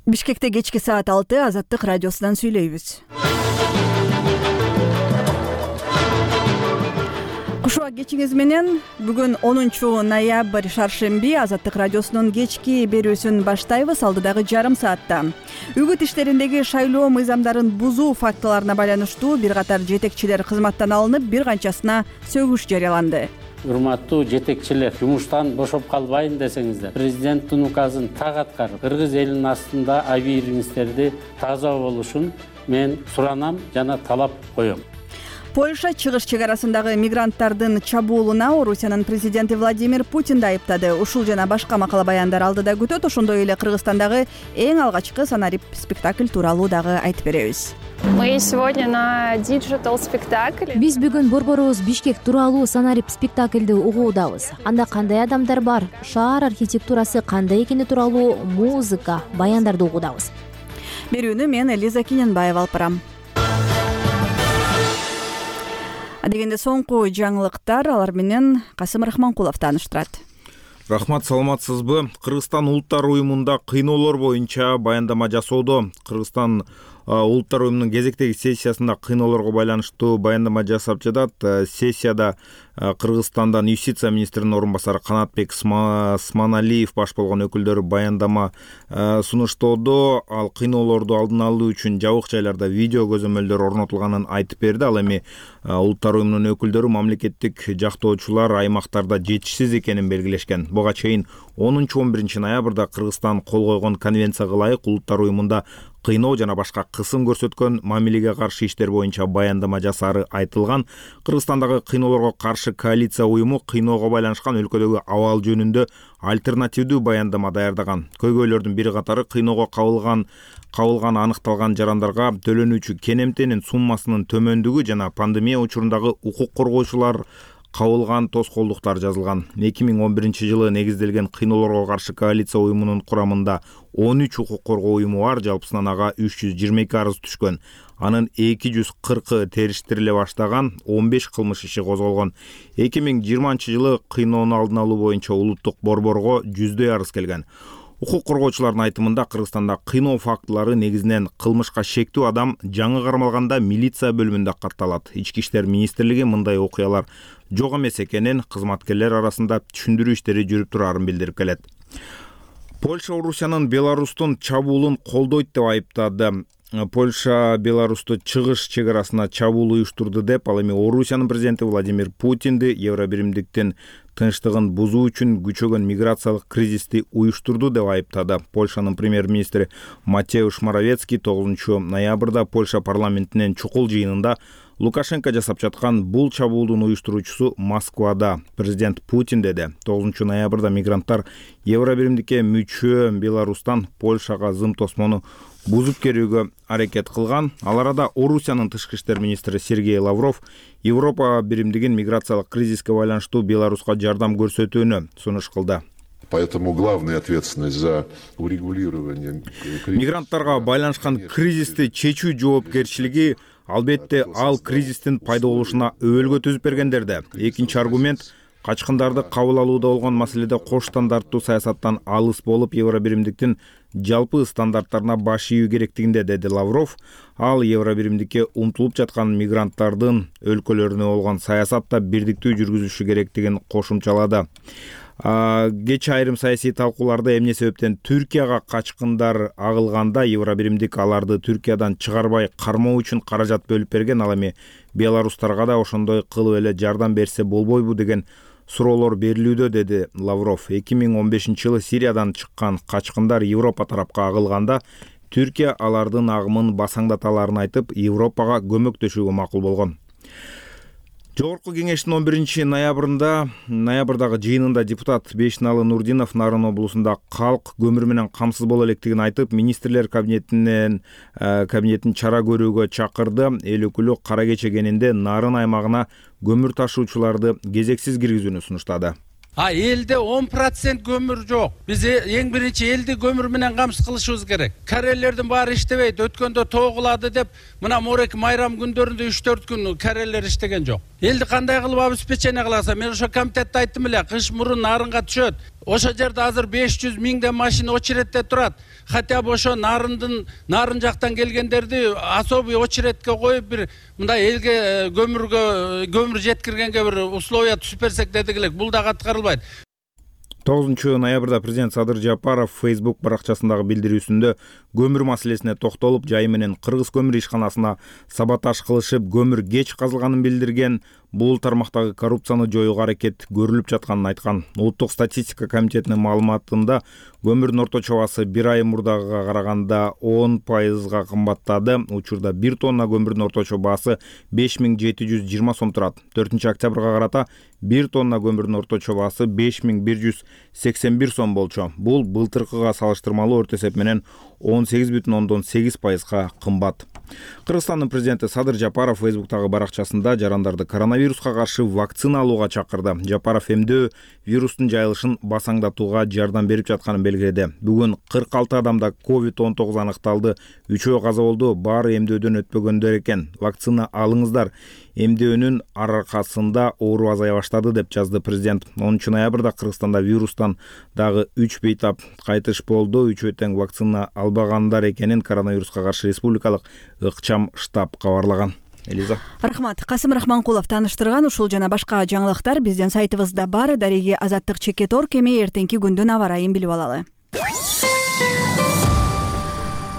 Бишкекте кечки саат 6 Азаттык радиосунан сүйлөйбүз. Кушуак кечиңиз менен бүгүн 10-ноябрь шаршемби Азаттык радиосунун кечки берүүсүн баштайбыз. Алдыдагы жарым саатта үгүт иштериндеги шайлоо мыйзамдарын бузуу фактыларына байланыштуу бир катар жетекчилер кызматтан алынып, бир канчасына сөгүш жарыяланды. Урматтуу жетекчилер, жумуштан бошоп калбайын десеңиздер, президенттин указын так аткарып, кыргыз элинин астында абийириңиздерди таза болушун мен суранам жана талап коем. Польша чыгыш чек арасындагы мигранттардын чабуулуна Орусиянын президенти Владимир Путинди айыптады. Ушул жана башка макала баяндар алдыда күтөт. Ошондой эле Кыргызстандагы эң алгачкы санарип спектакль тууралуу дагы айтып беребиз. Мы сегодня на диджитал спектакль. Биз бүгүн борборубуз Бишкек тууралуу санарип спектакльди угуудабыз. Анда кандай адамдар бар, шаар архитектурасы кандай экени тууралуу музыка, баяндарды угуудабыз. Берүүнү мен Элиза Кененбаева алып барам. Дегенде соңку жаңылыктар, алар менен Касым Рахманкулов тааныштырат. Рахмат, саламатсызбы? Кыргызстан улуттар уюмунда кыйноолор боюнча баяндама жасоодо. Кыргызстан улуттар уюмунун кезектеги сессиясында кыйноолорго байланыштуу баяндама жасап жатат. Сессияда Кыргызстандан юстиция министринин орун басары Канатбек Сманалиев баш болгон өкүлдөрү баяндама сунуштоодо. Ал кыйноолорду алдын алуу үчүн жабык жайларда видео көзөмөлдөр орнотулганын айтып берди. Ал эми улуттар уюмунун өкүлдөрү мамлекеттик жактоочулар аймактарда жетишсиз экенин белгилешкен. Буга чейин 10-11 ноябрда Кыргызстан кол койгон конвенцияга ылайык улуттар уюмунда кыйноо жана башка кысым көрсөткөн мамилеге каршы иштер боюнча баяндама жасаары айтылган. Кыргызстандагы кыйноолорго каршы коалиция уюму кыйноого байланышкан өлкөдөгү абал жөнүндө альтернативдүү баяндама даярдаган. Көйгөйлөрдүн бир катары кыйноого кабылган аныкталган жарандарга төлөнүүчү кенемтенин суммасынын төмөндүгү жана пандемия учурундагы укук коргоочулар кабылган тоскоолдуктар жазылган. 2011 жылы негизделген кыйноолорго каршы коалиция уюмунун курамында 13 укук коргоо уюму бар. Жалпысынан ага 322 арыз түшкөн. Анын 240 териштириле баштаган, 15 кылмыш иши козголгон. 2020 жылы кыйноону алдын алуу боюнча улуттук борборго 100дөй арыз келген. Укук коргоочулардын айтымында Кыргызстанда кыйноо фактылары негизинен кылмышка шектүү адам жаңы кармалганда милиция бөлүмүндө катталат. Ички иштер министрлиги мындай окуялар жок эмес экенин кызматкерлер арасында түшүндүрүү иштери жүрүп турарын билдирип келет. Польша Орусиянын Беларустун чабуулун колдойт деп айыптады. Польша Беларусту чыгыш чек арасына чабуул уюштурду деп, ал эми Орусиянын президенти Владимир Путинди Евробиримдиктин тынчтыгын бузуу үчүн күчөгөн миграциялык кризисти уюштурду деп айыптады. Польшанын премьер-министри Матеуш Моровецкий 9 ноябрда Польша парламентинин чукул жыйынында Лукашенко жасап жаткан бул чабуулдун уюштуруучусу Москвада. Президент Путин деди. 9 ноябрда мигранттар Евробиримдикке мүчө Беларустан Польшага зым тосмону бузуп келүүгө аракет кылган. Ал арада Орусиянын тышкы иштер министри Сергей Лавров Европа биримдигин миграциялык кризиске байланыштуу Беларуска жардам көрсөтүүнү сунуш кылды. Поэтому главная ответственность за урегулирование мигранттарга байланышкан кризисти чечүү жоопкерчилиги албетте ал кризистин пайда болушуна өбөлгө түзүп бергендерде. Экинчи аргумент качкындарды кабыл алууда болгон маселеде кош стандарттуу саясаттан алыс болуп, Евробиримдиктин жалпы стандарттарына баш ийүү керектигинде, деди Лавров. Ал Евробиримдикке умтулуп жаткан мигранттардын өлкөлөрүнө болгон саясатта бирдиктүү жүргүзүлүшү керектигин кошумчалады. Кеч айрым саясий талкууларда эмне себептен Түркияга качкындар агылганда Евробиримдик аларды Түркиядан чыгарбай кармоо үчүн каражат бөлүп берген. Ал эми беларустарга да ошондой кылып эле жардам берсе болбойбу деген суроолор берилүүдө, деди Лавров. 2015 жылы Сириядан чыккан качкындар Европа тарапка агылганда Түркия алардын агымын басаңдаталарын айтып, Европага көмөктөшүүгө макул болгон. Жогорку кеңештин 11 ноябрдагы жыйынында депутат Бешналы Нурдинов Нарын облусунда калк көмүр менен камсыз боло электигин айтып, министрлер кабинетин чара көрүүгө чакырды. Эл өкүлү кара кече кенинде Нарын аймагына көмүр ташуучуларды кезексиз киргизүүнү сунуштады. Элде 10% көмүр жок. Биз эң биринчи элди көмүр менен камсыз кылышыбыз керек. Карелердин баары иштебейт. Өткөндө тоогулады деп, мына морек майрам күндөрүндө 3-4 күн карелер иштеген жок. Элди кандай кылып обеспечение кыласам? Мен ошо комитетте айттым эле, кыш мурун Нарынга түшөт. Ошо жерде азыр 500 миңден машина очередде турат. Хотя бы ошо нарын жактан келгендерди особый очередке коюп бир мындай элге көмүр жеткиргенге бир условия түзүп берсек дедик элек. Бул дагы аткарылбайт. 9 ноябрда президент Садыр Жапаров Facebook баракчасындагы билдирүүсүндө көмүр маселесине токтолуп, жайы менен Кыргыз көмүр ишканасына саботаж кылышып, көмүр кеч казылганын билдирген. Бул тармактагы коррупцияны жоюуга аракет көрүлүп жатканын айткан. Улуттук статистика комитетинин маалыматында көмүрдүн орточо баасы 1 ай мурдагыга караганда 10% кымбаттады. Учурда 1 тонна көмүрдүн орточо баасы 5720 сом турат. 4-октябрга карата 1 тонна көмүрдүн орточо баасы 5181 сом болчу. Бул былтыркыга салыштырмалуу орто эсеп менен 18,8% кымбат. Кыргызстандын президенти Садыр Жапаров Facebook'тагы баракчасында жарандарды коронавируска каршы вакцина алууга чакырды. Жапаров эмдөө вирустун жайылышын басаңдатууга жардам берип жатканын белгиледи. Бүгүн 46 адамда COVID-19 аныкталды. 3-өө каза болду. Баары эмдөөдөн өтпөгөндөр экен. Вакцина алыңыздар. Эмдөөнүн аркасында оору азая баштады деп жазды президент. 10 ноябрда Кыргызстанда вирустан дагы 3 бейтап кайтыш болду. 3-өө тең вакцина албагандар экенин коронавируска каршы республикалык ыкчам штаб кабарлаган. Элиза. Рахмат. Касым Рахманкулов тааныштырган ушул жана башка жаңылыктар биздин сайтыбызда бар. Дареги Азаттык Чекет.org эми эртеңки күндүн аба ырайын билип алалы.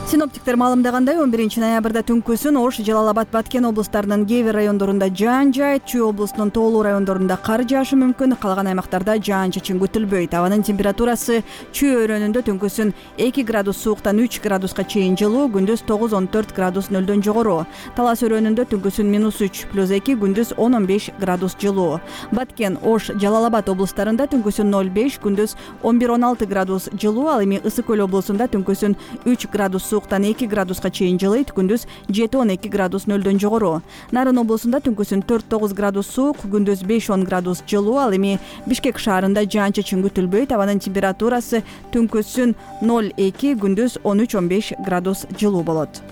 Синоптиктер маалымдагандай 11 ноябрда түнкүсүн Ош, Жалал Абад, Баткен облустарынын кээ бир райондорунда жаан жаайт, Чүй облусунун тоолуу райондорунда кар жаашы мүмкүн, калган аймактарда жаан-чачын күтүлбөйт. Абанын температурасы Чүй өрөөнүндө түнкүсүн 2 градус сууктан 3 градуска чейин жылуу, күндүз 9-14 градус нөлдөн жогору. Талас өрөөнүндө түнкүсүн -3 + 2, күндүз 10-15 градус жылуу. Баткен, Ош, Жалал Абад облустарында түнкүсүн 0,5, күндүз 11-16 градус жылуу, ал эми Ысык Көл облусунда түнкүсүн 3 градус сууктан 2 градуска чейин жылыйт, күндүз 7-12 градус нөлдөн жогору. Нарын облусунда түнкүсүн 4-9 градус суук, күндүз 5-10 градус жылуу, ал эми Бишкек шаарында жаан-чачын күтүлбөйт. Абанын температурасы түнкүсүн 0,2, күндүз 13-15 градус жылуу болот.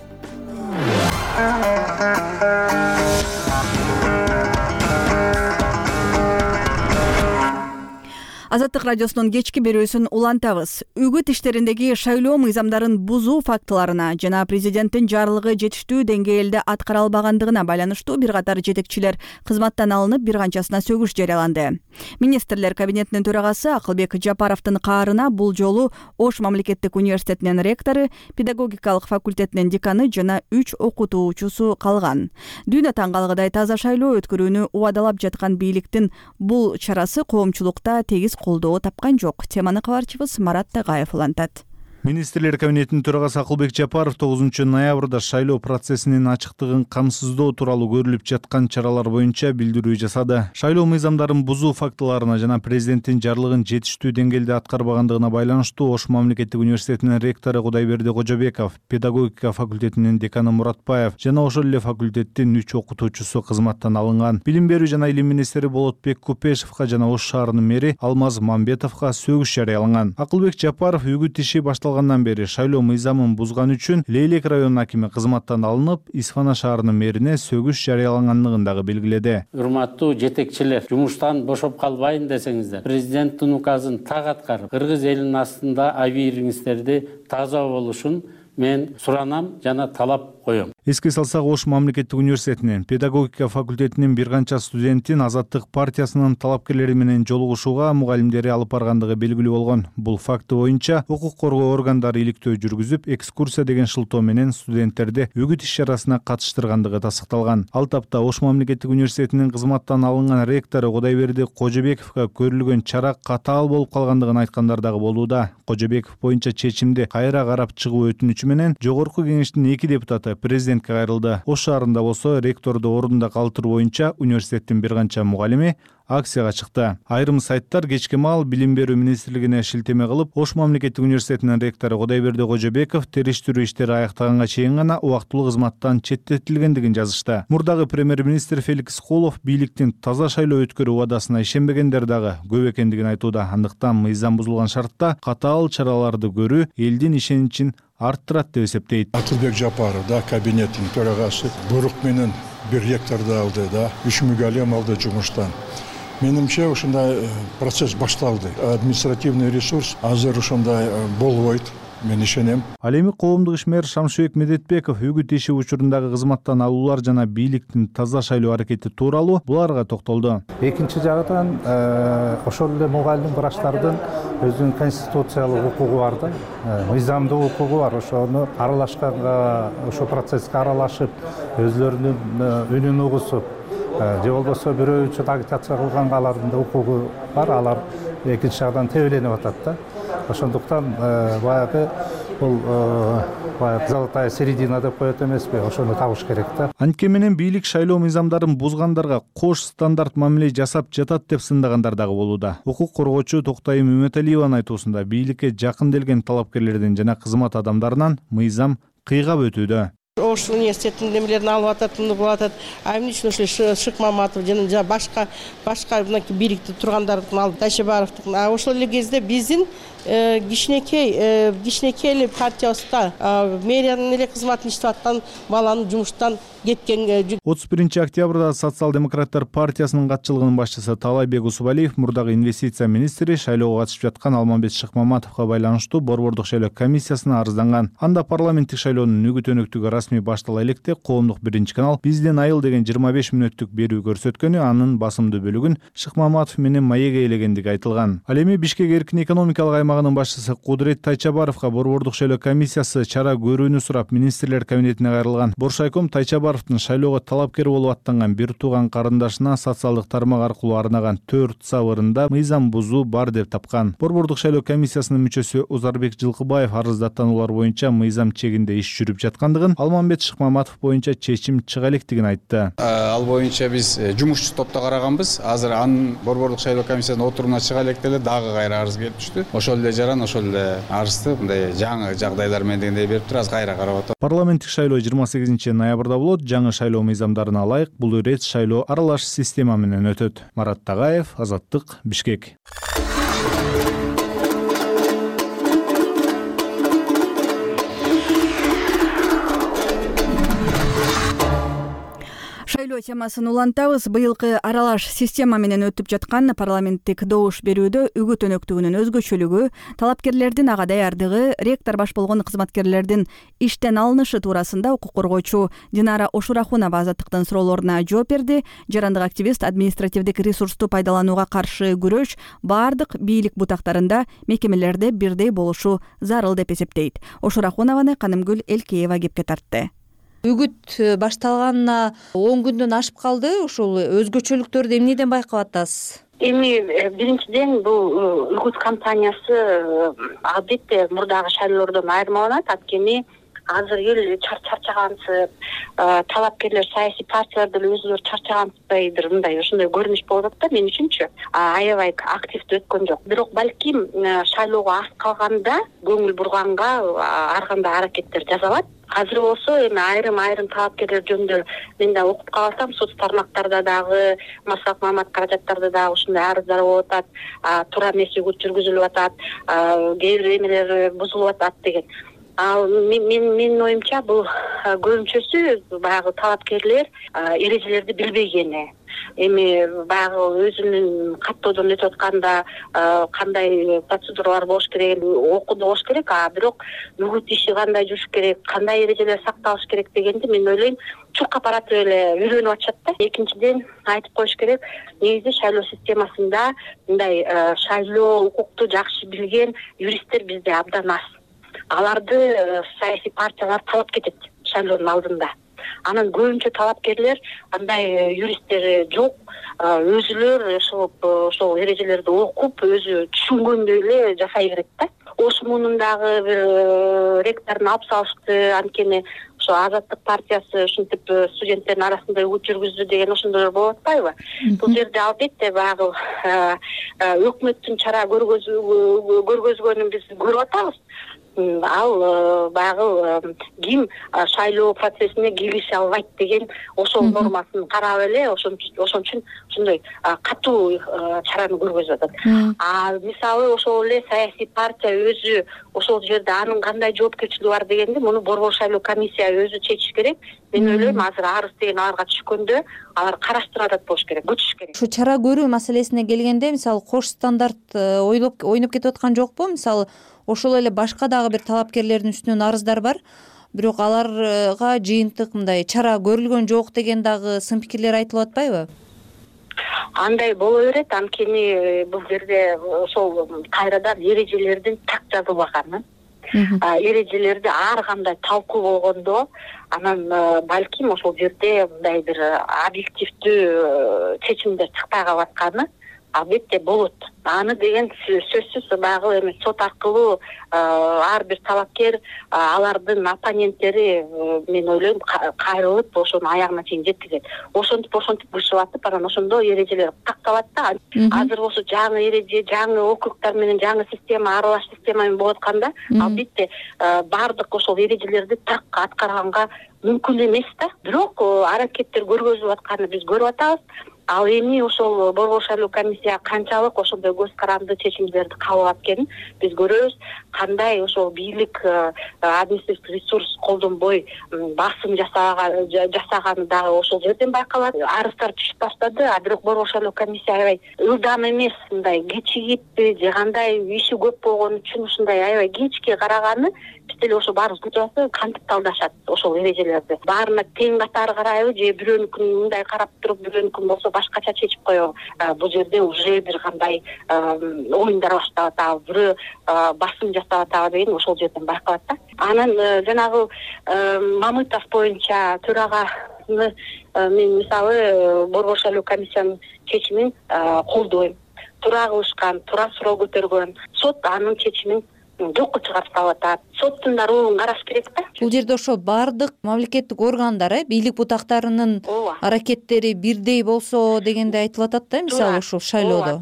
Азаттык радиосунун кечки берүүсүн улантабыз. Үгүт иштериндеги шайлоо мыйзамдарын бузуу фактыларына жана президенттин жарлыгы жетиштүү деңгээлде аткара албагандыгына байланыштуу бир катар жетекчилер кызматтан алынып, бир канчасына сөгүш жарыяланды. Министрлер кабинетинин төрагасы Акылбек Жапаровдун каарына бул жолу Ош мамлекеттик университетинин ректору, педагогикалык факультетинин деканы жана 3 окутуучусу калган. Дүйнө таң калгыдай таза шайлоо өткөрүүнү убадалап жаткан бийликтин бул чарасы коомчулукта тегиз колдоо тапкан жок. Теманы кабарчыбыз Марат Тагаев улантат. Министрлер кабинетинин төрагасы Акылбек Жапаров 9 ноябрда шайлоо процессинин ачыктыгын камсыздоо тууралуу көрүлүп жаткан чаралар боюнча билдирүү жасады. Шайлоо мыйзамдарын бузуу фактыларына жана президенттин жарлыгын жетиштүү деңгээлде аткарбагандыгына байланыштуу Ош мамлекеттик университетинин ректору Кудайберди Кожобеков, педагогика факультетинин деканы Муратбаев жана ошол эле факультеттин 3 окутуучусу кызматтан алынган. Билим берүү жана илим министри Болотбек Купешевка жана Ош шаарынын мэри Алмаз Мамбетовго сөгүш жарыяланган. Акылбек Жапаров үгүт иши башталгандан бери шайлоо мыйзамын бузган үчүн Лейлек районунун акими кызматтан алынып, Исфана шаарынын мэрине сөгүш жарыялангандыгын дагы белгиледи. Урматтуу жетекчилер, жумуштан бошоп калбайын десеңиздер, президенттин указын так аткарып, кыргыз элинин астында абийириңиздерди таза болушун мен суранам жана талап коем. Эске салсак, Ош мамлекеттик университетинин педагогика факультетинин бир канча студентин Азаттык партиясынын талапкерлери менен жолугушууга мугалимдери алып баргандыгы белгилүү болгон. Бул факты боюнча укук коргоо органдары иликтөө жүргүзүп, экскурсия деген шылтоо менен студенттерди үгүт иш-чарасына катыштыргандыгы тасыкталган. Ал тапта Ош мамлекеттик университетинин кызматтан алынган ректору Кудайберди Кожобековго көрүлгөн чара катаал болуп калгандыгын айткандар дагы болууда. Кожобеков боюнча чечимди кайра карап чыгуу өтүнүчү менен Жогорку кеңештин 2 депутаты президентке кайрылды. Ош шаарында болсо ректорду ордунда калтыруу боюнча университеттин бир канча мугалими акцияга чыкты. Айрым сайттар кечки маал Билим берүү министрлигине шилтеме кылып, Ош мамлекеттик университетинин ректору Кудайберди Кожобеков териштирүү иштери аяктаганга чейин гана убактылуу кызматтан четтетилгендигин жазышты. Мурдагы премьер-министр Феликс Холов бийликтин таза шайлоо өткөрүү убадасына ишенбегендер дагы көп экендигин айтууда. Андыктан мыйзам бузулган шартта катаал чараларды көрүү элдин ишеничин арттырат деп эсептейт. Акылбек Жапаров да кабинеттин төрагасы буйрук менен бир ректорду алды да 3 мугалим алды жумуштан. Менимче ушундай процесс башталды. Административный ресурс азыр ушундай болбойт. Мен ишенем. Ал эми коомдук ишмер Шамшыбек Медетбеков үгүт иши учурундагы кызматтан алуулар жана бийликтин таза шайлоо аракети тууралуу буларга токтолду. Экинчи жагынан ошол эле мугалим врачтардын өзүнүн конституциялык укугу бар да, мыйзамдуу укугу бар. Ошону аралашканга, ошол процесске аралашып, өзлөрүнүн үнүн угусуп, же болбосо бирөө үчүн агитация кылганга алардын да укугу бар. Алар экинчи жагдан тебеленип атат да. Ошондуктан баягы бул золотая середина деп коет эмеспи, ошону табыш керек да. Антке менен бийлик шайлоо мыйзамдарын бузгандарга кош стандарт мамиле жасап жатат деп сындагандар дагы болууда. Укук коргоочу Токтайым Үмөталиеванын айтуусунда бийликке жакын келген талапкерлердин жана кызмат адамдарынан мыйзам кыйгап өтүүдө. Ош университетинин немелерин алып атат, мындай болуп атат. Эмне үчүн ошол Шыкмаматов жана башка мынакей бийликте тургандардын алып Тайшыбаровдун. Ошол эле кезде биздин кичинекей эле партиябызда мэриянын эле кызматын иштеп аткан баланы жумуштан кеткен. 31 октябрда Социал-демократтар партиясынын катчылыгынын башчысы Талайбек Усубалиев мурдагы инвестиция министри шайлоого катышып жаткан Алмамбет Шыкмаматовго байланыштуу борбордук шайлоо комиссиясына арызданган. Анда парламенттик шайлоонун үгүт өнөктүгү расмий баштала электе коомдук биринчи канал Бизден айыл деген 25 мүнөттүк берүү көрсөткөнү, анын басымдуу бөлүгүн Шыкмаматов менен маеге ээлегендиги айтылган. Ал эми Бишкек эркин экономикалык аймагынын башчысы Кудурет Тайчабаровго борбордук шайлоо комиссиясы чара көрүүнү сурап министрлер кабинетине кайрылган. Боршайком Тайчабаровдун шайлоого талапкер болуп аттанган бир тууган карындашына социалдык тармак аркылуу арнаган 4 сабырында мыйзам бузуу бар деп тапкан. Борбордук шайлоо комиссиясынын мүчөсү Узарбек Жылкыбаев арызда атанулар боюнча мыйзам чегинде иш жүрүп жаткандыгын, Алмамбет Шыкмаматов боюнча чечим чыга электигин айтты. Ал боюнча биз жумушчу топто караганбыз. Азыр анын борбордук шайлоо комиссиясынын отурумуна чыга электе эле дагы кайра арыз келип түштү. Ошол эле жаран ошол эле арызды мындай жаңы жагдайлар менен дегендей берип тур, азыр кайра карап атат. Парламенттик шайлоо 28 ноябрда болот. Жаңы шайлоо мыйзамдарына ылайык бул ирет шайлоо аралаш система менен өтөт. Марат Тагаев, Азаттык, Бишкек. Шайлоо темасын улантабыз. Быйылкы аралаш система менен өтүп жаткан парламенттик добуш берүүдө үгүт өнөктүгүнүн өзгөчөлүгү, талапкерлердин ага даярдыгы, ректор баш болгон кызматкерлердин иштен алынышы туурасында укук коргоочу Динара Ошурахунова Азаттыктын суроолоруна жооп берди. Жарандык активист административдик ресурсту пайдаланууга каршы күрөш баардык бийлик бутактарында, мекемелерде бирдей болушу зарыл деп эсептейт. Ошурахунованы Канымгүл Элкеева кепке тартты. Үгүт башталганына 10 күндөн ашып калды. Ошол өзгөчөлүктөрдү эмнеден байкап атасыз? Эми биринчиден бул үгүт кампаниясы албетте мурдагы шайлоолордон айырмаланат. Анткени азыр эл чарчагансып, талапкерлер саясий партиялар деле өзүлөрү чарчагансызбайдыр, мындай ошондой көрүнүш болуп атат да мен үчүнчү. Аябай активдүү өткөн жок. Бирок балким шайлоого аз калганда көңүл бурганга ар кандай аракеттер жасалат. Азыр болсо эми айрым талапкерлер жөнүндө мен да окуп калсам, соц тармактарда дагы, массалык маалымат каражаттарда дагы ушундай арыздар болуп атат, туура эмес үгүт жүргүзүлүп атат, кээ бир эмелер бузулуп атат деген. Менин оюмча бул көбүнчөсү баягы талапкерлер эрежелерди билбегени. Эми баягы өзүнүн каттоодон өтүп атканда кандай процедуралар болуш керек, окуду болуш керек, бирок үгүт иши кандай жүрүш керек, кандай эрежелер сакталыш керек дегенди мен ойлойм чуркап баратып эле үйрөнүп атышат да. Экинчиден айтып коюш керек, негизи шайлоо системасында мындай шайлоо укукту жакшы билген юристтер бизде абдан аз. Аларды саясий партиялар талап кетет шайлоонун алдында. Анан көбүнчө талапкерлер андай юристтер жок, өзүлөр ошол эрежелерди окуп, өзү түшүнгөндөй эле жасай берет да. Ош муунундагы бир ректорун алып салышты, анткени ошо Азаттык партиясы ушинтип студенттердин арасында үгүт жүргүздү деген ошондойлор болуп атпайбы? Бул жерде албетте баягы өкмөттүн чара көргөзгөнүн биз көрүп атабыз. ал баягы ким шайлоо процессине кирише албайт деген ошол нормасын карап эле ошон үчүн ушундай катуу чараны көргөзүп атат. Мисалы ошол эле саясий партия өзү ошол жерде анын кандай жоопкерчилиги бар дегенди муну борбор шайлоо комиссия өзү чечиш керек. Мен ойлойм азыр арыз деген аларга түшкөндө алар караштырып атат болуш керек, күтүш керек. Ушу чара көрүү маселесине келгенде мисалы кош стандарт ойноп кетип аткан жокпу? Мисалы ошол эле башка дагы бир талапкерлердин үстүнөн арыздар бар, бирок аларга жыйынтык мындай чара көрүлгөн жок деген дагы сын пикирлер айтылып атпайбы? Андай боло берет, анткени бул жерде ошол кайрадан эрежелердин так жазылбаганы. Эрежелерди ар кандай талкуу болгондо анан балким ошол жерде мындай бир объективдүү чечимдер чыкпай калып атканы албетте болот. Аны деген сөзсүз баягы эме сот аркылуу ар бир талапкер алардын оппоненттери мен ойлойм кайрылып ошонун аягына чейин жеткизет. Ошентип кышып атып анан ошондо эрежелер такталат да. Азыр болсо жаңы эреже, жаңы округтар менен жаңы система, аралаш система менен болуп атканда албетте баардык ошол эрежелерди так аткарганга мүмкүн эмес да. Бирок аракеттер көргөзүлүп атканын биз көрүп атабыз. Ал эми ошол борбор шайлоо комиссия канчалык ошондой көз каранды чечимдерди кабыл алат экенин биз көрөбүз. Кандай ошол бийлик административдик ресурс колдонбой басым жасаганы дагы ошол жерден байкалат. Арыздар түшүп баштады, бирок борбор шайлоо комиссия аябай ылдам эмес, мындай кечигиппи же кандай иши көп болгон үчүн ушундай аябай кечке караганы биз деле ошо баарыбыз күтүп атабыз, кантип талдашат ошол эрежелерди. Баарына тең катары карайбы же бирөөнүкүн мындай карап туруп бирөөнүкүн болсо башкача чечип коебу. Бул жерде уже бир кандай оюндар башталып атабы, бирөө басым жасап атабы деген ошол жерден байкалат да. Анан жанагы Мамытов боюнча төраганы мен мисалы борбор шайлоо комиссиянын чечимин колдойм. Туура кылышкан, туура суроо көтөргөн. Сот анын чечимин жокко чыгарып салып атат. Соттун да ролун караш керек да. Бул жерде ошо баардык мамлекеттик органдар, бийлик бутактарынын аракеттери бирдей болсо дегенде айтылып атат да, мисалы ушул шайлоодо.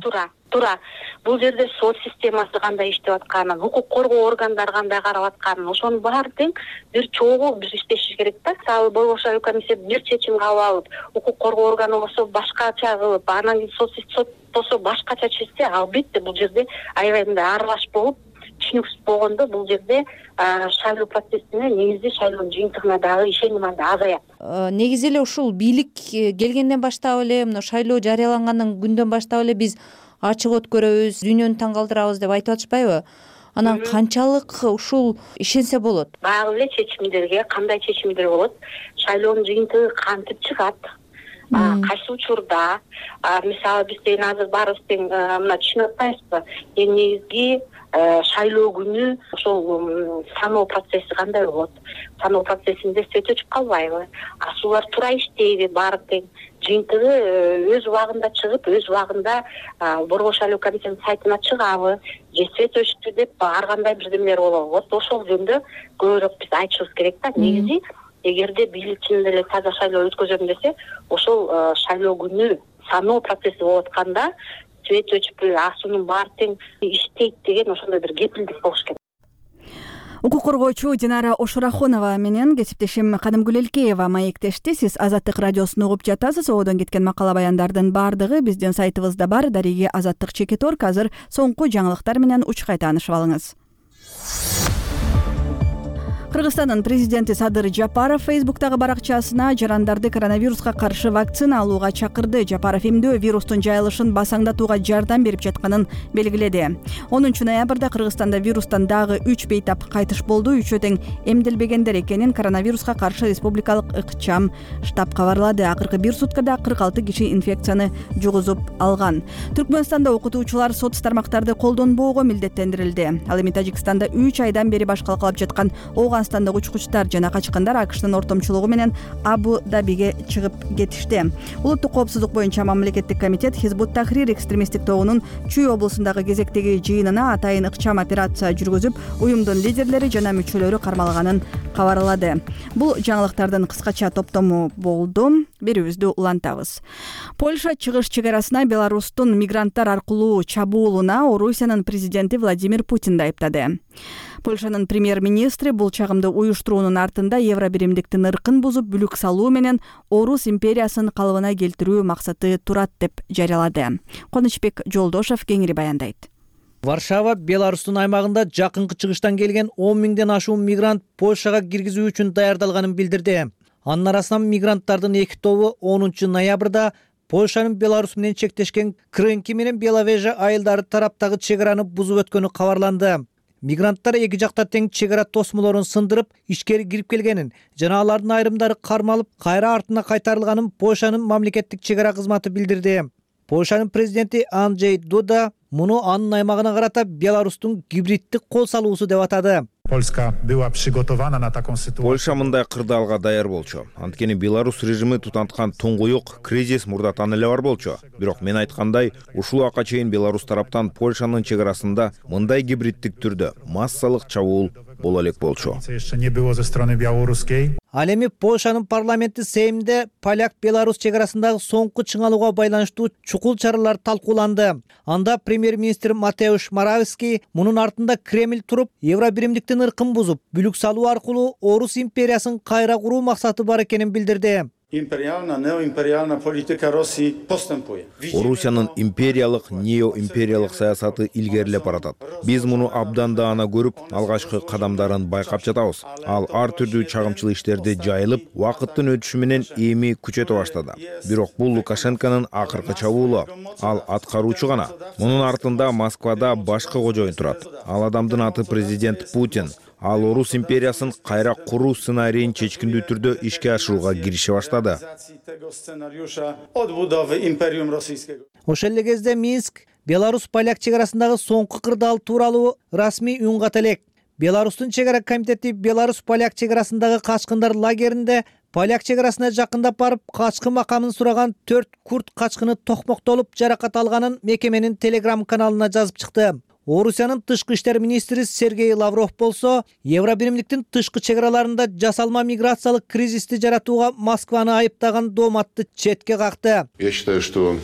Туура. Бул жерде сот системасы кандай иштеп атканын, укук коргоо органдары кандай карап атканын, ошонун баары тең бир чогуу биз иштешибиз керек да. Мисалы борбор шайлоо комиссия бир чечим кабыл алып, укук коргоо органы болсо башкача кылып, анан кийин сот болсо башкача чечсе, албетте бул жерде аябай мындай аралаш болуп түшүнүксүз болгондо бул жерде шайлоо процессине, негизи шайлоонун жыйынтыгына дагы ишеним анда азаят. Негизи эле ушул бийлик келгенден баштап эле, мына шайлоо жарыялангандан күндөн баштап эле биз ачык өткөрөбүз, дүйнөнү таң калтырабыз деп айтып атышпайбы? Анан канчалык ушул ишенсе болот? Баягы эле чечимдерге кандай чечимдер болот? Шайлоонун жыйынтыгы кантип чыгат? Кайсы учурда? Мисалы биз деген азыр баарыбыз тең мына түшүнүп атпайбызбы? Эң негизги шайлоо күнү ошол саноо процесси кандай болот? Саноо процессинде свет өчүп калбайбы? Асуулар туура иштейби? Баары тең жыйынтыгы өз убагында чыгып, өз убагында борбор шайлоо комиссиянын сайтына чыгабы? Же свет өчтү деп ар кандай бирдемелер болобу? Вот ошол жөнүндө көбүрөөк биз айтышыбыз керек да. Негизи эгерде бийлик чынында эле таза шайлоо өткөзөм десе, ошол шайлоо күнү саноо процесси болуп атканда свет өчүп асуунун баары тең иштейт деген ошондой бир кепилдик болуш керек. Укук коргоочу Динара Ошурахунова менен кесиптешим Кадымкүл Элкеева маектешти. Сиз Азаттык радиосун угуп жатасыз. Одон кеткен макала баяндардын баардыгы биздин сайтыбызда бар. Дариги Азаттык Чекиторг. Азыр соңку жаңылыктар менен учкай таанышып алыңыз. Кыргызстандын президенти Садыр Жапаров Фейсбуктагы баракчасына жарандарды коронавируска каршы вакцина алууга чакырды. Жапаров эмдөө вирустун жайылышын басаңдатууга жардам берип жатканын белгиледи. 10 ноябрда Кыргызстанда вирустан дагы 3 бейтап кайтыш болду. Үчөө тең эмделбегендер экенин коронавируска каршы республикалык ыкчам штаб кабарлады. Акыркы бир суткада 46 киши инфекцияны жугузуп алган. Түркмөнстанда окутуучулар соц тармактарды колдонбоого милдеттендирилди. Ал эми Тажикстанда 3 айдан бери баш калкалап жаткан Афганстандагы учкучтар жана качкындар АКШнын ортомчулугу менен Абу Дабиге чыгып кетишти. Улуттук коопсуздук боюнча мамлекеттик комитет Хизбут Тахрир экстремисттик тобунун Чүй облусундагы кезектеги жыйынына атайын ыкчам операция жүргүзүп, уюмдун лидерлери жана мүчөлөрү кармалганын кабарлады. Бул жаңылыктардын кыскача топтому болду. Берүүбүздү улантабыз. Польша чыгыш чек арасына Беларустун мигранттар аркылуу чабуулуна Орусиянын президенти Владимир Путинди айыптады. Польшанын премьер-министри бул чагымды уюштуруунун артында Евробиримдиктин ыркын бузуп бүлүк салуу менен Орус империясын калыбына келтирүү максаты турат деп жарыялады. Конучбек Жолдошев кеңири баяндайт. Варшава Беларустун аймагында жакынкы чыгыштан келген 10 миңден ашуун мигрант Польшага киргизүү үчүн даярдалганын билдирди. Анын арасынан мигранттардын 2 тобу 10 ноябрда Польшанын Беларус менен чектешкен Крынки менен Беловежа айылдары тараптагы чек араны бузуп өткөнү кабарланды. Мигранттар эки жакта тең чек ара тосмолорун сындырып, ичкери кирип келгенин жана алардын айрымдары кармалып, кайра артына кайтарылганын Польшанын мамлекеттик чек ара кызматы билдирди. Польшанын президенти Анджей Дуда муну анын аймагына карата Беларустун гибриддик кол салуусу деп атады. Польша мындай кырдаалга даяр болчу. Анткени Беларус режими тутанткан туңгуюк кризис мурдатан эле бар болчу. Бирок мен айткандай, ушул убакка чейин Беларус тараптан Польшанын чек арасында мындай гибриддик түрдө массалык чабуул боло элек болчу. Ал эми Польшанын парламенти Сеймде поляк-Беларус чек арасындагы соңку чыңалууга байланыштуу чукул чаралар талкууланды. Анда премьер-министр Матеуш Моравский мунун артында Кремль туруп, Евробиримдиктин ыркын бузуп, бүлүк салуу аркылуу Орус империясын кайра куруу максаты бар экенин билдирди. Орусиянын империялык, неоимпериялык саясаты илгерилеп баратат. Биз муну абдан даана көрүп, алгачкы кадамдарын байкап жатабыз. Ал ар түрдүү чагымчыл иштерди жайылып, убакыттын өтүшү менен эми күчөтө баштады. Бирок бул Лукашенконун акыркы чабуулу. Ал аткаруучу гана. Мунун артында Москвада башкы кожоюн турат. Ал адамдын аты президент Путин. Ал Орус империясын кайра куруу сценарийин чечкиндүү түрдө ишке ашырууга кирише баштады. Ошол эле кезде Минск Беларус-поляк чек арасындагы соңку кырдаал тууралуу расмий үн ката элек. Беларустун чек ара комитети Беларус-поляк чек арасындагы качкындар лагеринде поляк чек арасына жакындап барып, качкын макамын сураган 4 курд качкыны токмоктолуп жаракат алганын мекеменин Telegram каналына жазып чыкты. Орусиянын тышкы иштер министри Сергей Лавров болсо, Евробиримдиктин тышкы чек араларында жасалма миграциялык кризисти жаратууга Москваны айыптаган дооматты четке какты. Я считаю, что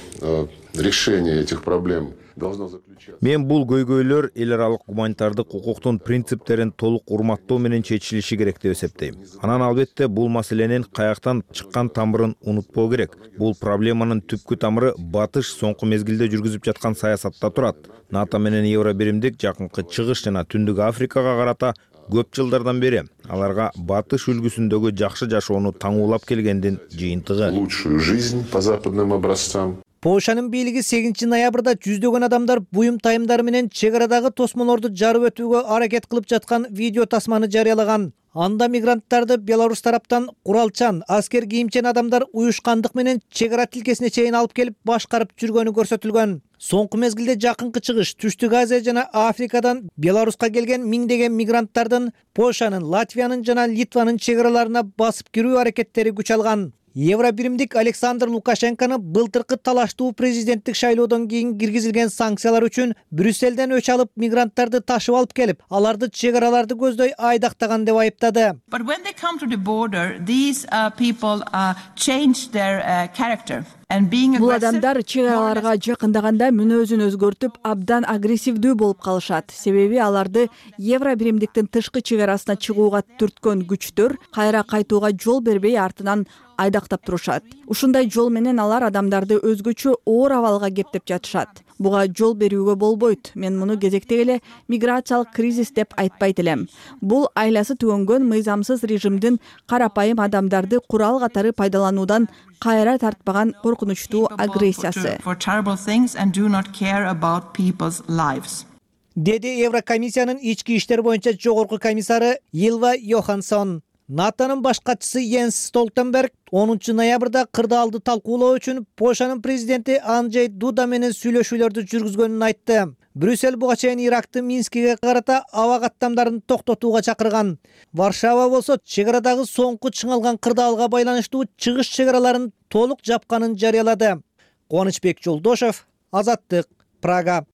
решение этих проблем должно заключаться. Мен бул көйгөйлөр эл аралык гуманитардык укуктун принциптерин толук урматтоо менен чечилиши керек деп эсептейм. Анан албетте бул маселенин каяктан чыккан тамырын унутпоо керек. Бул проблеманын түпкү тамыры батыш соңку мезгилде жүргүзүп жаткан саясатта турат. НАТО менен Евробиримдик жакынкы чыгыш жана Түндүк Африкага карата көп жылдардан бери аларга батыш үлгүсүндөгү жакшы жашоону таңуулап келгендин жыйынтыгы. Лучшую жизнь по западным образцам. Польшанын бийлиги 8 ноябрда жүздөгөн адамдар буюм тайымдары менен чек арадагы тосмолорду жарып өтүүгө аракет кылып жаткан видео тасманы жарыялаган. Анда мигранттарды Беларус тараптан куралчан, аскер кийимчен адамдар уюшкандык менен чек ара тилкесине чейин алып келип башкарып жүргөнү көрсөтүлгөн. Соңку мезгилде жакынкы чыгыш Түштүк Азия жана Африкадан Беларуска келген миңдеген мигранттардын Польшанын, Латвиянын жана Литванын чек араларына басып кирүү аракеттери күч алган. Евробиримдик Александр Лукашенкону былтыркы талаштуу президенттик шайлоодон кийин киргизилген санкциялар үчүн Брюсселден өч алып мигранттарды ташып алып келип, аларды чек араларды көздөй айдактаган деп айыптады. But when they come to the border, these people change their character. Бул адамдар чек араларга жакындаганда мүнөзүн өзгөртүп, абдан агрессивдүү болуп калышат. Себеби аларды Евробиримдиктин тышкы чек арасына чыгууга түрткөн күчтөр кайра кайтууга жол бербей артынан айдактап турушат. Ушундай жол менен алар адамдарды өзгөчө оор абалга кептеп жатышат. Буга жол берүүгө болбойт. Мен муну кезектеги эле миграциялык кризис деп айтпайт элем. Бул айласы түгөнгөн мыйзамсыз режимдин карапайым адамдарды курал катары пайдалануудан кайра тартпаган коркунучтуу агрессиясы. Деди Еврокомиссиянын ички иштер боюнча жогорку комиссары Илва Йоханссон. НАТОнун баш катчысы Йенс Столтенберг 10 ноябрда кырдаалды талкуулоо үчүн Польшанын президенти Анджей Дуда менен сүйлөшүүлөрдү жүргүзгөнүн айтты. Брюссель буга чейин Ирактын Минскиге карата аба каттамдарын токтотууга чакырган. Варшава болсо чек арадагы соңку чыңалган кырдаалга байланыштуу чыгыш чек араларын толук жапканын жарыялады. Конучбек Жолдошев, Азаттык, Прага.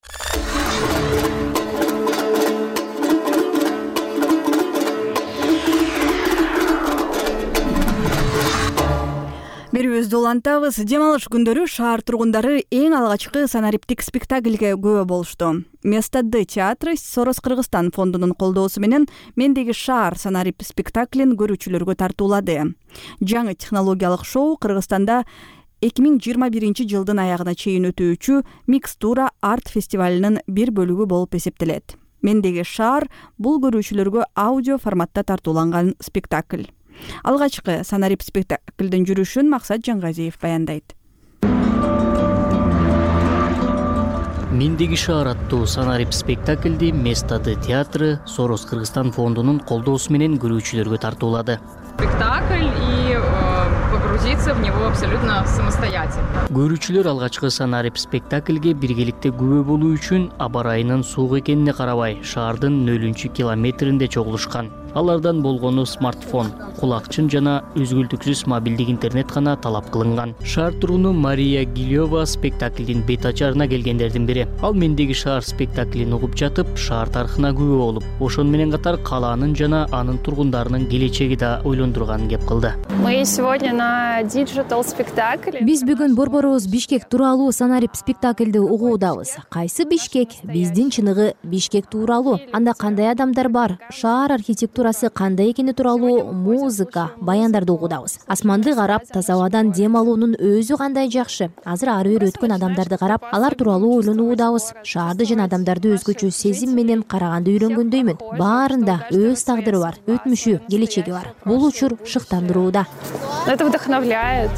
Берүүбүздү улантабыз. Дем алыш күндөрү шаар тургундары эң алгачкы санариптик спектакльге күбө болушту. Место Д театры Сорос Кыргызстан фондунун колдоосу менен Мендеги шаар санарип спектаклин көрүүчүлөргө тартуулады. Жаңы технологиялык шоу Кыргызстанда 2021 жылдын аягына чейин өтүүчү Микстура арт фестивалынын бир бөлүгү болуп эсептелет. Мендеги шаар бул көрүүчүлөргө аудио форматта тартууланган спектакль. Алгачкы санарип спектаклдин жүрүшүн Максат Жаңгазиев баяндайт. Мендеги шаар аттуу санарип спектаклди Место Д театры Сорос Кыргызстан фондунун колдоосу менен көрүүчүлөргө тартуулады. Спектакль и погрузиться в него абсолютно самостоятельно. Көрүүчүлөр алгачкы санарип спектакльге биргеликте күбө болуу үчүн аба ырайынын суук экенине карабай шаардын 0 километринде чогулушкан. Алардан болгону смартфон, кулакчын жана үзгүлтүксүз мобилдик интернет гана талап кылынган. Шаар тургуну Мария Гилева спектаклдин бет ачарына келгендердин бири. Ал Мендеги шаар спектаклин угуп жатып, шаар тарыхына күбө болуп, ошону менен катар калаанын жана анын тургундарынын келечеги да ойлондурганын кеп кылды. Мы сегодня на диджитал спектакле. Биз бүгүн борборубуз Бишкек тууралуу санарип спектакльди угуудабыз. Кайсы Бишкек? Биздин чыныгы Бишкек тууралуу. Анда кандай адамдар бар? Шаар архитектурасы кандай экени тууралуу музыка, баяндарды угуудабыз. Асманды карап, таза абадан дем алуунун өзү кандай жакшы. Азыр ары бери өткөн адамдарды карап, алар тууралуу ойлонуудабыз. Шаарды жана адамдарды өзгөчө сезим менен караганды үйрөнгөндөймүн. Баарында өз тагдыры бар, өтмүшү, келечеги бар. Бул учур шыктандырууда. Это вдохновляет.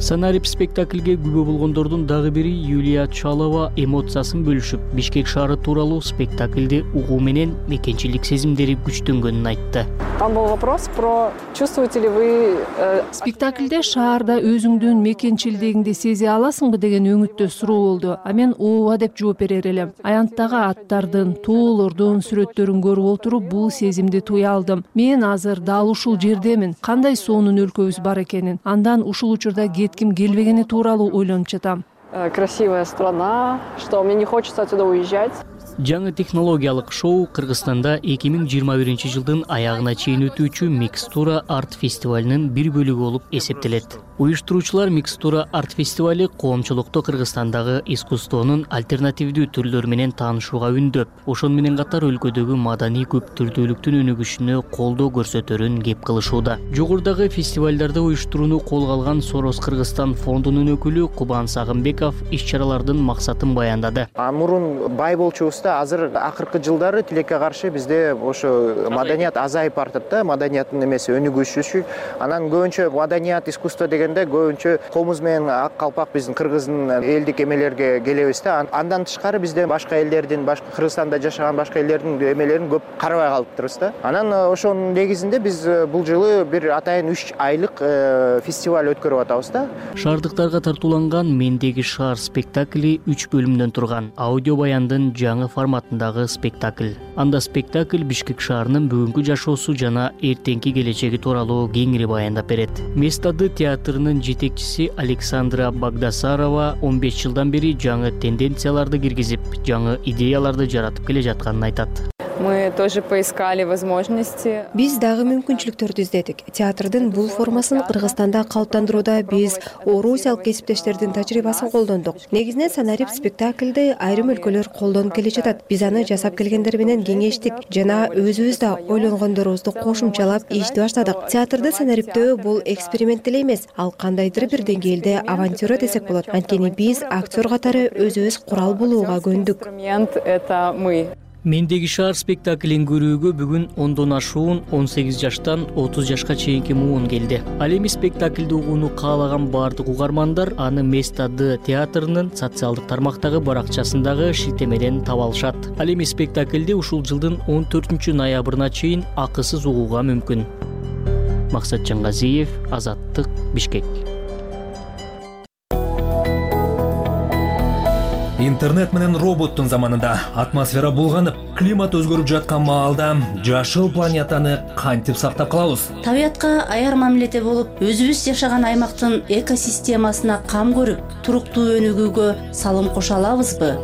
Санарип спектакльге күбө болгондордун дагы бири Юлия Чалова эмоциясын бөлүшүп, Бишкек шаары тууралуу спектакльди угуу менен мекенчилик сезимдери күчтөнгөнүн айтты. Там был вопрос про чувствуете ли вы спектакльде шаарда өзүңдүн мекенчилдигиңди сезе аласыңбы деген өңүттө суроо болду. А мен ооба деп жооп берер элем. Аянттагы аттардын, тоолордун сүрөттөрүн көрүп отуруп бул сезимди туя алдым. Мен азыр дал ушул жердемин. Кандай сонун өлкөбүз бар экенин, андан ушул учурда кетким келбегени тууралуу ойлонуп жатам. Красивая страна, что мне не хочется отсюда уезжать. Жаңы технологиялык шоу Кыргызстанда 2021 жылдын аягына чейин өтүүчү Микстура арт фестивалынын бир бөлүгү болуп эсептелет. Уюштуруучулар Микстура арт фестивали коомчулукту Кыргызстандагы искусствонун альтернативдүү түрлөрү менен таанышууга үндөп, ошону менен катар өлкөдөгү маданий көптүрдүүлүктүн өнүгүшүнө колдоо көрсөтөрүн кеп кылышууда. Жогорудагы фестивалдарды уюштурууну колго алган Сорос Кыргызстан фондунун өкүлү Кубан Сагынбеков иш-чаралардын максатын баяндады. Мурун бай болчубузда азыр акыркы жылдары тилекке каршы бизде ошо маданият азайып бартат да, маданияттын эмеси өнүгүшү. Анан көбүнчө маданият, искусство деген көбүнчө комуз менен ак калпак биздин кыргыздын элдик эмелерге келебиз да. Андан тышкары бизде башка элдердин, башка Кыргызстанда жашаган башка элдердин эмелерин көп карабай калыптырбыз да. Анан ошонун негизинде биз бул жылы бир атайын 3 айлык фестиваль өткөрүп атабыз да. Шаардыктарга тартууланган Мендеги шаар спектакли 3 бөлүмдөн турган. Аудио баяндын жаңы форматындагы спектакль. Анда спектакль Бишкек шаарынын бүгүнкү жашоосу жана эртеңки келечеги тууралуу кеңири баяндап берет. Место Д театрынын жетекчиси Александра Багдасарова 15 жылдан бери жаңы тенденцияларды киргизип, жаңы идеяларды жаратып келе жатканын айтат. Мы тоже поискали возможности. Биз дагы мүмкүнчүлүктөрдү издедик. Театрдын бул формасын Кыргызстанда калыптандырууда биз орусиялык кесиптештердин тажрыйбасын колдондук. Негизинен санарип спектакльди айрым өлкөлөр колдонуп келе жатат. Биз аны жасап келгендер менен кеңештик жана өзүбүз да ойлонгондорубузду кошумчалап ишти баштадык. Театрды санариптөө бул эксперимент эле эмес, ал кандайдыр бир деңгээлде авантюра десек болот. Анткени биз актер катары өзүбүз курал болууга көндүк. Это мы. Мендеги шаар спектаклин көрүүгө бүгүн 10дон ашуун 18 жаштан 30 жашка чейинки муун келди. Ал эми спектакльди угууну каалаган бардык угармандар аны Место Д театрынын социалдык тармактагы баракчасындагы шилтемеден таба алышат. Ал эми спектакльди ушул жылдын 14 ноябрына чейин акысыз угууга мүмкүн. Максат Жаңгазиев, Азаттык, Бишкек. Интернет менен роботтун заманында атмосфера булганып, климат өзгөрүп жаткан маалда жашыл планетаны кантип сактап калабыз? Табиятка аяр мамиледе болуп, өзүбүз жашаган аймактын экосистемасына кам көрүп, туруктуу өнүгүүгө салым кошо алабызбы?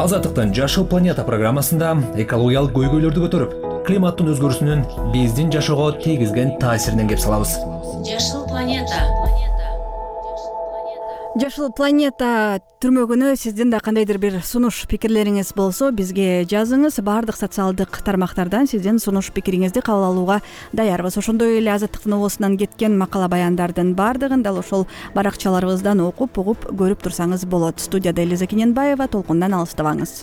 Азаттыктын Жашыл планета программасында экологиялык көйгөйлөрдү көтөрүп, климаттын өзгөрүүсүнүн биздин жашоого тийгизген таасиринен кеп салабыз. Жашыл планета. Жашыл планета түрмөгүнө сиздин да кандайдыр бир сунуш пикирлериңиз болсо бизге жазыңыз. Баардык социалдык тармактардан сиздин сунуш пикириңизди кабыл алууга даярбыз. Ошондой эле Азаттыктын обосунан кеткен макала баяндардын баардыгын дал ошол баракчаларыбыздан окуп угуп көрүп турсаңыз болот. Студияда Элиза Кененбаева, толкундан алыстабаңыз.